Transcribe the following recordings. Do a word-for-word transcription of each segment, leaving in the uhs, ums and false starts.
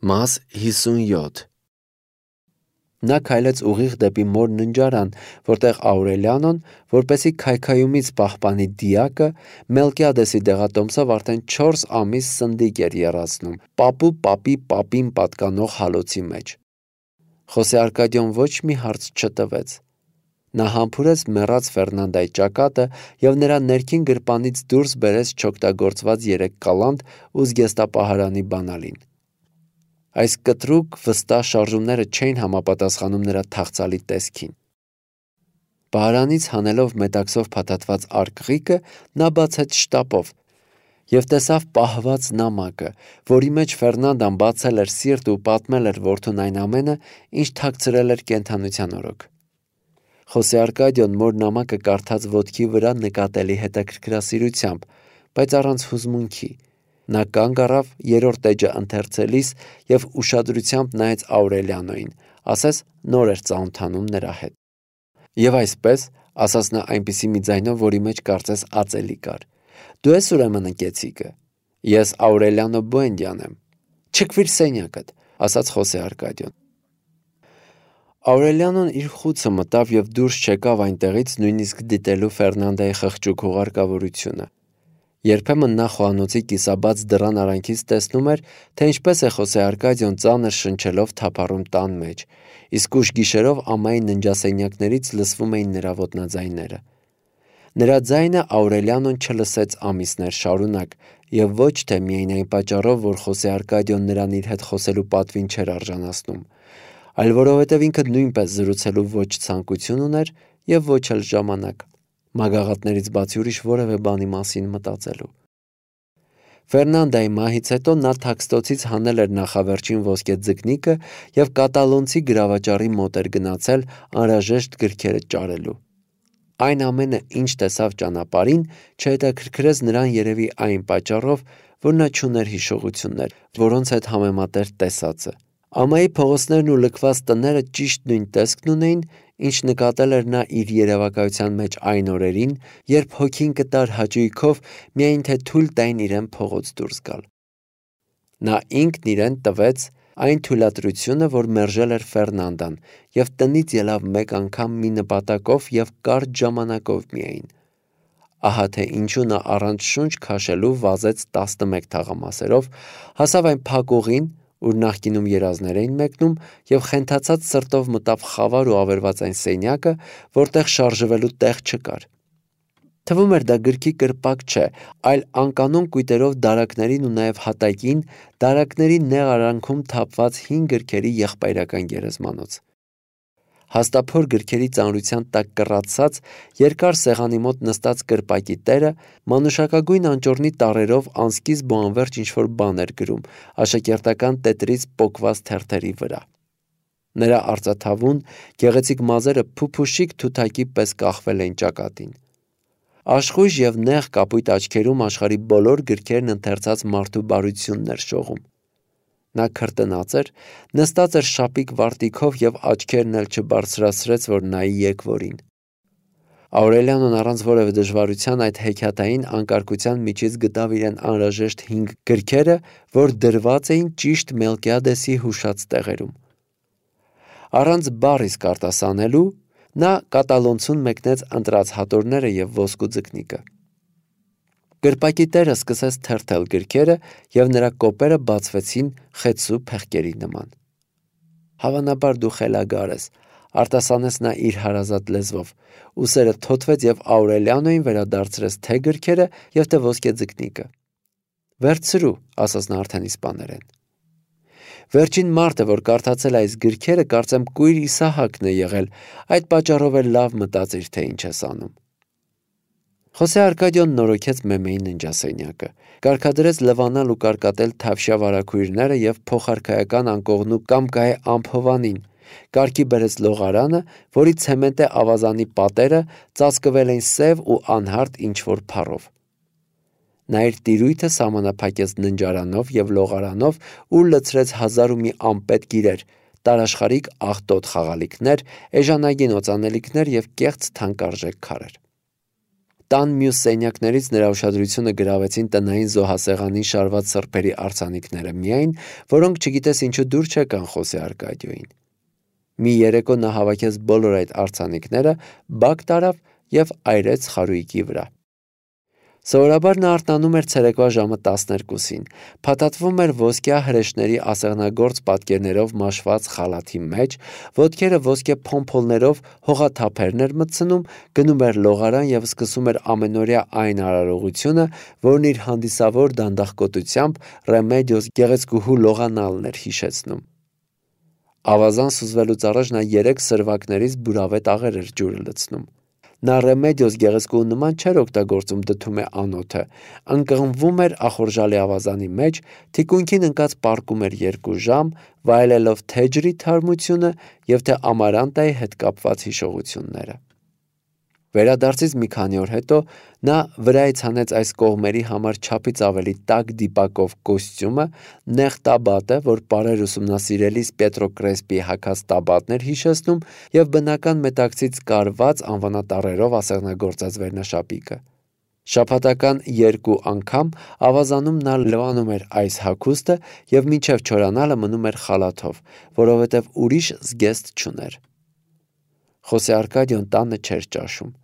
Մաս հիսունյոթ Նա քայլեց ուղիղ դեպի մոր ննջարան, որտեղ Աուրելիանոն, որպեսզի քայքայումից պահպանի դիակը, Մելկիադեսի դեղատոմսով արդեն չորս ամիս սնդիկ էր եռացնում, պապու պապի պապին պատկանող հալոցի մեջ։ Խոսե Արկադիոն ոչ մի հարց չտվեց։ Նա համբուրեց մեռած Ֆերնանդայի ճակատը և նրա ներքին գրպանից դուրս բերեց չօգտագործված երեք կալանդ ու զգեստապահարանի բանալին։ Այս կտրուկ վստահ շարժումները չէին համապատասխանում նրա թախծալի տեսքին։ Պահարանից հանելով մետաքսով փաթաթված արկղիկը, նա բացեց շտապով և տեսավ պահված նամակը, որի մեջ Ֆերնանդան բացել էր սիրտ ու պատմել էր որդուն այն ամենը, ինչ թաքցրել էր կենդանության օրոք։ Խոսե Արկադիոն մոր նամակը կարդաց ոտքի վրա նկատելի հետաքրքրասիրությամբ, բայց առանց հուզմունքի։ Նա կանգ առավ երրորդ էջը ընթերցելիս և ուշադրությամբ նայեց Աուրելիանոյին, ասես նոր էր ծանոթանում նրա հետ։ Եվ այսպես, ասաց նա այնպիսի մի ձայնով, որի մեջ կարծես ածելի կար. «Դու ես ուրեմն ընկեցիկը։ Ես Աուրելիանո Բուենդիան եմ։ Չքվիր սենյակդ», ասաց Խոսե Արկադիոն։ Աուրելիանոն իր խուցը մտավ և դուրս չեկավ այնտեղից նույնիսկ դիտելու Ֆերնանդայի խղճուկ հուղարկավորությունը։ Երբեմն նա խոհանոցի կիսաբաց դռան արանքից տեսնում էր, թե ինչպես է Խոսե Արկադիոն ծանր շնչելով թափառում տան մեջ, իսկ ուշ գիշերով ամայի ննջասենյակներից լսվում էին նրա ոտնաձայները։ Նրա ձայնը Աուրելիանոն չլսեց ամիսներ շարունակ, և ոչ թե միայն այն պատճառով, որ Խոսե Արկադիոն նրան իր հետ խոսելու պատվին չէր արժանացնում, այլ որովհետև ինքը նույնպես զրուցելու ոչ ցանկություն ուներ և ոչ էլ ժամանակ, մագաղատներից բացի ուրիշ որևէ բանի մասին մտածելու։ Ֆերնանդայի մահից հետո նա թաքստոցից հանել էր նախավերջին ոսկե ձկնիկը և կատալոնցի գրավաճառի մոտ էր գնացել անհրաժեշտ գրքերը ճարելու։ Այն ամենը, ինչ տեսավ ճանապարհին, չհետաքրքրեց նրան երևի այն պատճառով, որ նա չուներ հիշողություններ, որոնց հետ համեմատեր տեսածը։ Ամայի փողոցներն ու լքված տները ճիշտ նույն տեսքն ունեին, ինչ նկատել էր նա իր երևակայության մեջ այն օրերին, երբ հոգին կտար հաճույքով, միայն թե թույլ տային իրեն փողոց դուրս գալ։ Նա ինքն իրեն տվեց այն թույլատրությունը, որ մերժել էր Ֆերնանդան, և տնից ելավ մեկ անգամ մի նպատակով և կարճ ժամանակով միայն։ Ահա թե ինչու նա առանց շունչ քաշելու վազեց տասնմեկ թաղամասերով, հասավ այն փակ ուղին, ուր նախկինում երազներ էին մեկնում, և խենթացած սրտով մտավ խավար ու ավերված այն սենյակը, որտեղ շարժվելու տեղ չկար։ Թվում էր դա գրքի կրպակ չէ, այլ անկանոն կույտերով դարակներին ու նաև հատակին, դարակների նեղ արանքում թափված հին գրքերի եղբայրական գերեզմանոց։ Հաստափոր գրքերի ծանրության տակ կռացած, երկար սեղանի մոտ նստած կրպակի տերը մանուշակագույն անճոռնի տառերով անսկիզբ ու անվերջ ինչ-որ բան էր գրում աշակերտական տետրից պոկված թերթերի վրա։ Նրա արծաթավուն, գեղեցիկ մազերը փուփուշիկ թութակի պես կախվել էին ճակատին։ Աշխույժ և նեղ կապույտ աչքերում աշխարհի բոլոր գրքերն ընթերցած մարդու բարությունն էր շողում։ Նա քրտնած էր, նստած էր շապիկ վարտիքով և աչքերն էլ չբարձրացրեց, որ նայի եկվորին։ Աուրելիանոն առանց որևէ դժվարության այդ հեքիաթային անկարգության միջից գտավ իրեն անհրաժեշտ հինգ գրքերը, որ դրված էին ճիշտ Մելկիադեսի հուշած տեղերում։ Առանց բառ իսկ արտասանելու, նա կատալոնցուն մեկնեց ընտրած հատորները և ոսկու ձկնիկը։ Կրպակի տերը սկսեց թերթել գրքերը, և նրա կոպերը բացվեցին խեցու փեղկերի նման։ «Հավանաբար դու խելագար ես», արտասանեց նա իր հարազատ լեզվով, ուսերը թոթվեց և Աուրելիանոյին վերադարձրեց թե գրքերը և թե ոսկե ձկնիկը։ «Վերցրու», ասաց նա արդեն իսպաներեն։ «Վերջին մարդը, որ կարդացել է այս գրքերը, կարծեմ կույր Իսահակն է եղել, այդ պատճառով էլ լավ մտածիր, թե ինչ ես անում»։ Խոսե Արկադիոն նորոգեց Մեմեի ննջասենյակը, կարգադրեց լվանալ ու կարկատել թավշյա վարագույրները և փոխարքայական անկողնու կամ կահե ամփովանին, կարգի բերեց լողարանը, որի ցեմենտե ավազանի պատերը ծածկվել էին սև ու անհարթ ինչ-որ փառով։ Նա իր տիրույթը սահմանափակեց ննջարանով և լողարանով ու լցրեց հազար ու մի անպետք իրեր, տարաշխարհիկ աղտոտ խաղալիքներ, էժանագին օծանելիքներ և կեղծ թանկարժեք քարեր։ Տան մյուս սենյակներից նրա ուշադրությունը գրավեցին տնային զոհասեղանին շարված սրբերի արձանիկները միայն, որոնք չգիտես ինչու դուր չեկան Խոսե Արկադիոյին։ Մի երեկո նա հավաքեց բոլոր այդ արձանիկները, բակ տարավ և այրեց խարույկի վրա։ Սովորաբար նա արթնանում էր ցերեկվա ժամը տասներկուսին, փաթաթվում էր ոսկյա հրեշների ասեղնագործ պատկերներով մաշված խալաթի մեջ, ոտքերը ոսկե փոմփոլներով հողաթափերն էր մտցնում, գնում էր լողարան և սկսում էր ամենօրյա այն արարողությունը, որն իր հանդիսավոր դանդաղկոտությամբ Ռեմեդիոս գեղեցկուհու լողանալն էր հիշեցնում։ Ավազան սուզվելուց առաջ նա երեք սրվակներից բուրավետ աղեր էր ջուրը լցնում։ Նա Ռեմեդիոս գեղեցկուհու նման չէր օգտագործում դդում է անոթը, ընկղմվում էր ախորժալի ավազանի մեջ, թիկունքին ընկած պառկում էր երկու ժամ, վայելելով թե ջրի թարմությունը և թե Ամարանտայի հետ կապված հիշողությունները։ Վերադարձից մի քանի օր հետո նա վրայից հանեց այս կողմերի համար չափից ավելի տաք դիպակով կոստյումը, նեղ տաբատը, որ պարեր ուսումնասիրելիս Պետրոկրեսպիի հագած տաբատն էր հիշեցնում, և բնական մետաքսից կարված անվանատառերով ասեղնագործած վերնաշապիկը։ Շաբաթական երկու անգամ ավազանում նա լվանում էր այս հագուստը և մինչև չորանալը մնում էր խալաթով, որովհետև ուրիշ զգեստ չուներ։ Խոսե Արկադիոն տանը չէր ճաշում։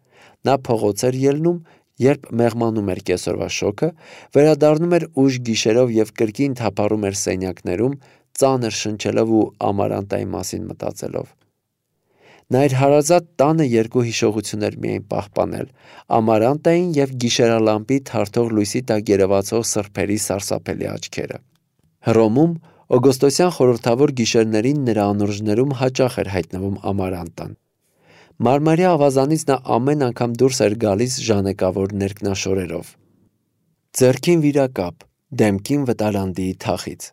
Նա փողոց էր ելնում, երբ մեղմանում էր կեսօրվա շոգը, վերադառնում էր ուշ գիշերով և կրկին թափառում էր սենյակներում, ծանր շնչելով ու Ամարանտայի մասին մտածելով։ Նա իր հարազատ տանը երկու հիշողություն էր միայն պահպանել՝ Ամարանտային և գիշերալամպի թարթող լույսի տակ երևացող սրբերի սարսափելի աչքերը։ Հռոմում օգոստոսյան խորհրդավոր գիշերներին նրա անուրջներում հաճախ էր հայտնվում Ամարանտան։ Մարմարյա ավազանից նա ամեն անգամ դուրս էր գալիս ժանեկավոր ներքնաշորերով։ Ձեռքին վիրակապ, դեմքին վտարանդիի թախից։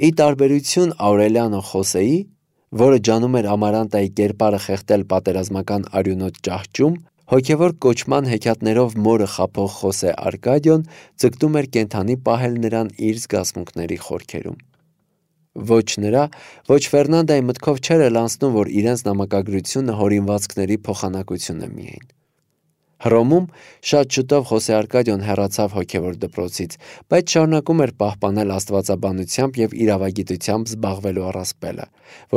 Ի տարբերություն Աուրելիանո Խոսեի, որը ջանում էր Ամարանտայի կերպարը խեղդել պատերազմական արյունոտ ճահճում, հոգևոր կոչման հեքիաթներով մորը խաբող Խոսե Արկադիոն ձգտում էր կենդանի պահել նրան իր զգացմունքների խորքերում։ Ոչ նրա, ոչ Ֆերնանդայի մտքով չէր էլ անցնում, որ իրենց նամակագրությունը հորինվածքների փոխանակություն է միայն։ Հռոմում շատ շուտով Խոսե Արկադիոն հեռացավ հոգևոր դպրոցից, բայց շարունակում էր պահպանել աստվածաբանությամբ և իրավագիտությամբ զբաղվելու առասպելը,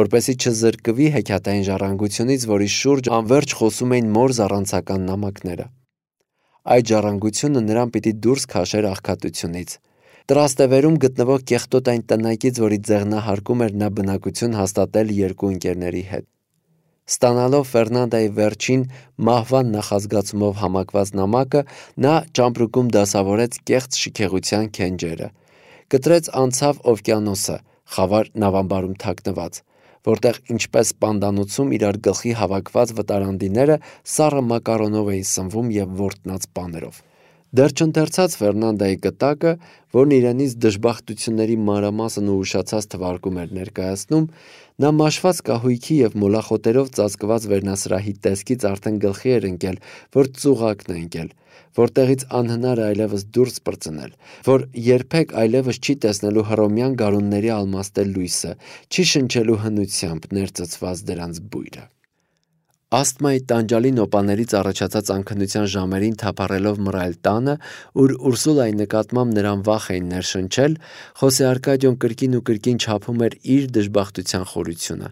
որպեսզի չզրկվի հեքիաթային ժառանգությունից, որի շուրջ անվերջ խոսում էին մոր զառանցական նամակները։ Այդ ժառանգությունը նրան պիտի դուրս քաշեր աղքատությունից։ Տրաստևերում գտնվող կեղտոտ այն տնակից, որի ձեղնահարկում էր նա բնակություն հաստատել երկու ընկերների հետ։ Ստանալով Ֆերնանդայի վերջին մահվան նախազգացումով համակված նամակը, նա ճամպրուկում դասավորեց կեղծ շքեղության քենջերը, կտրեց անցավ օվկիանոսը, խավար նավամբարում թաքնված, որտեղ ինչպես պանդանոցում իրար գլխի հավաքված վտարանդիները սառը մակարոնով էին սնվում և որտնած պաներով։ Դեռ չընթերցած Ֆերնանդայի կտակը, որն իրենից դժբախտությունների մանրամասն ու ուշացած թվարկում էր ներկայացնում, նա մաշված կահույքի և մոլախոտերով ծածկված վերնասրահի տեսքից արդեն գլխի էր ընկել, որ ծուղակն է ընկել, որտեղից անհնար է այլևս դուրս պրծնել, որ երբեք այլևս չի տեսնելու հռոմյան գարունների ալմաստե լույսը, չի շնչելու հնությամբ ներծծված դրանց բույրը։ Ասթմայի տանջալի նոպաներից առաջացած անքնության ժամերին թափառելով մռայլ տանը, ուր Ուրսուլայի նկատմամբ նրան վախ էին ներշնչել, Խոսե Արկադիոն կրկին ու կրկին չափում էր իր դժբախտության խորությունը։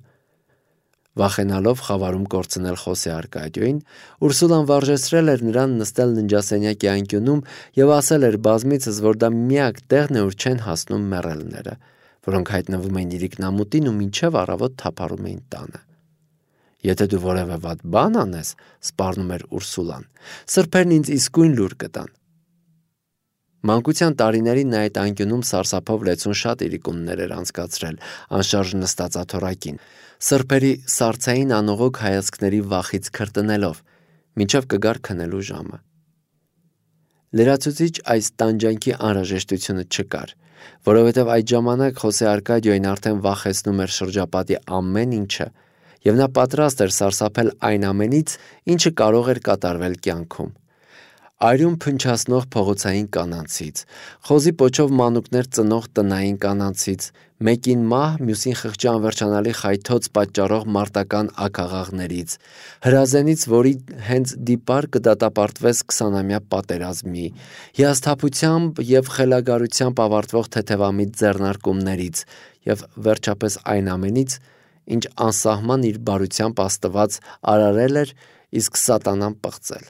Վախենալով խավարում կորցնել Խոսե Արկադիոյին, Ուրսուլան վարժեցրել էր նրան նստել ննջասենյակի անկյունում և ասել էր բազմիցս, որ դա միակ տեղն է, ուր չեն հասնում մեռելները, որոնք հայտնվում էին իրիկնամուտին ու մինչև առավոտ թափառում էին տանը։ Եթե դու որևէ վատ բան անես, սպառնում էր Ուրսուլան, սրբերն ինձ իսկույն լուր կտան։ Մանկության տարիներին նա այդ անկյունում սարսափով լեցուն շատ իրիկուններ էր անցկացրել, անշարժ նստած աթոռակին, սրբերի սառցային անողոք հայացքների վախից քրտնելով, մինչև կգար քնելու ժամը։ Լրացուցիչ այս տանջանքի անհրաժեշտությունը չկար, որովհետև այդ ժամանակ Խոսե Արկադիոյին արդեն վախեցնում էր շրջապատի ամեն ինչը, և նա պատրաստ էր սարսափել այն ամենից, ինչը կարող էր կատարվել կյանքում։ Արյուն փնչացնող փողոցային կանանցից, խոզի պոչով մանուկներ ծնող տնային կանանցից, Մեկին մահ, մյուսին խղճի անվերջանալի խայթոց պատճառող մարտական աքաղաղներից, հրազենից, որի հենց դիպար կդատապարտվես քսանամյա պատերազմի, հիասթափությամբ և խելագարությամբ ավարտվող թեթևամիտ ձեռնարկումներից և վերջապես այն ամենից, ինչ անսահման իր բարությամբ Աստված արարել էր, իսկ սատանան պղծել։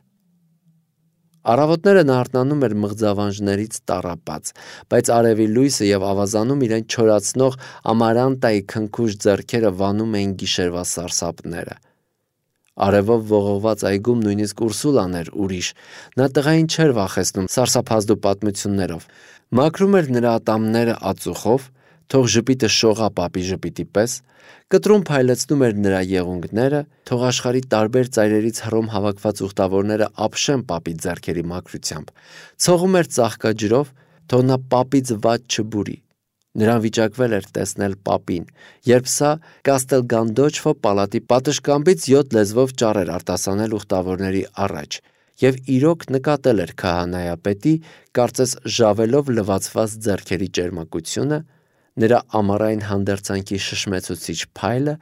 Առավոտները նա արթնանում էր մղձավանջներից տառապած, բայց արևի լույսը և ավազանում իրեն չորացնող ամարանտայի քնքուշ ձեռքերը վանում էին գիշերվա սարսափները։ Արևով ողողված այգում նույնիսկ Ուրսուլան էր ուրիշ, նա տղային չէր վախեցնում սարսափազդու պատմություններով, մաքրում էր նրա ատամները ածուխով, թող ժպիտը շողա պապի ժպիտի պես, կտրում փայլեցնում էր նրա եղունգները, թող աշխարհի տարբեր ծայրերից հռոմ հավաքված ուխտավորները ապշեն պապի ձեռքերի մաքրությամբ, ցողում էր ծաղկաջրով, թող նա պապից վատ չբուրի։ Նրան վիճակվել էր տեսնել պապին, երբ սա Կաստել Գանդոչֆո պալատի պատշգամբից յոթ լեզվով ճառ էր արտասանել ուխտավորների առաջ և իրոք նկատել էր քահանայապետի, կարծես ժավելով լվացված ձեռքերի ճերմակությունը, նրա ամառային հանդերձանքի շշմեցուցիչ փայլը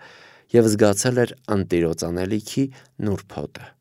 և զգացել էր ընտիրոջ անելիքի նուրբ հոտը։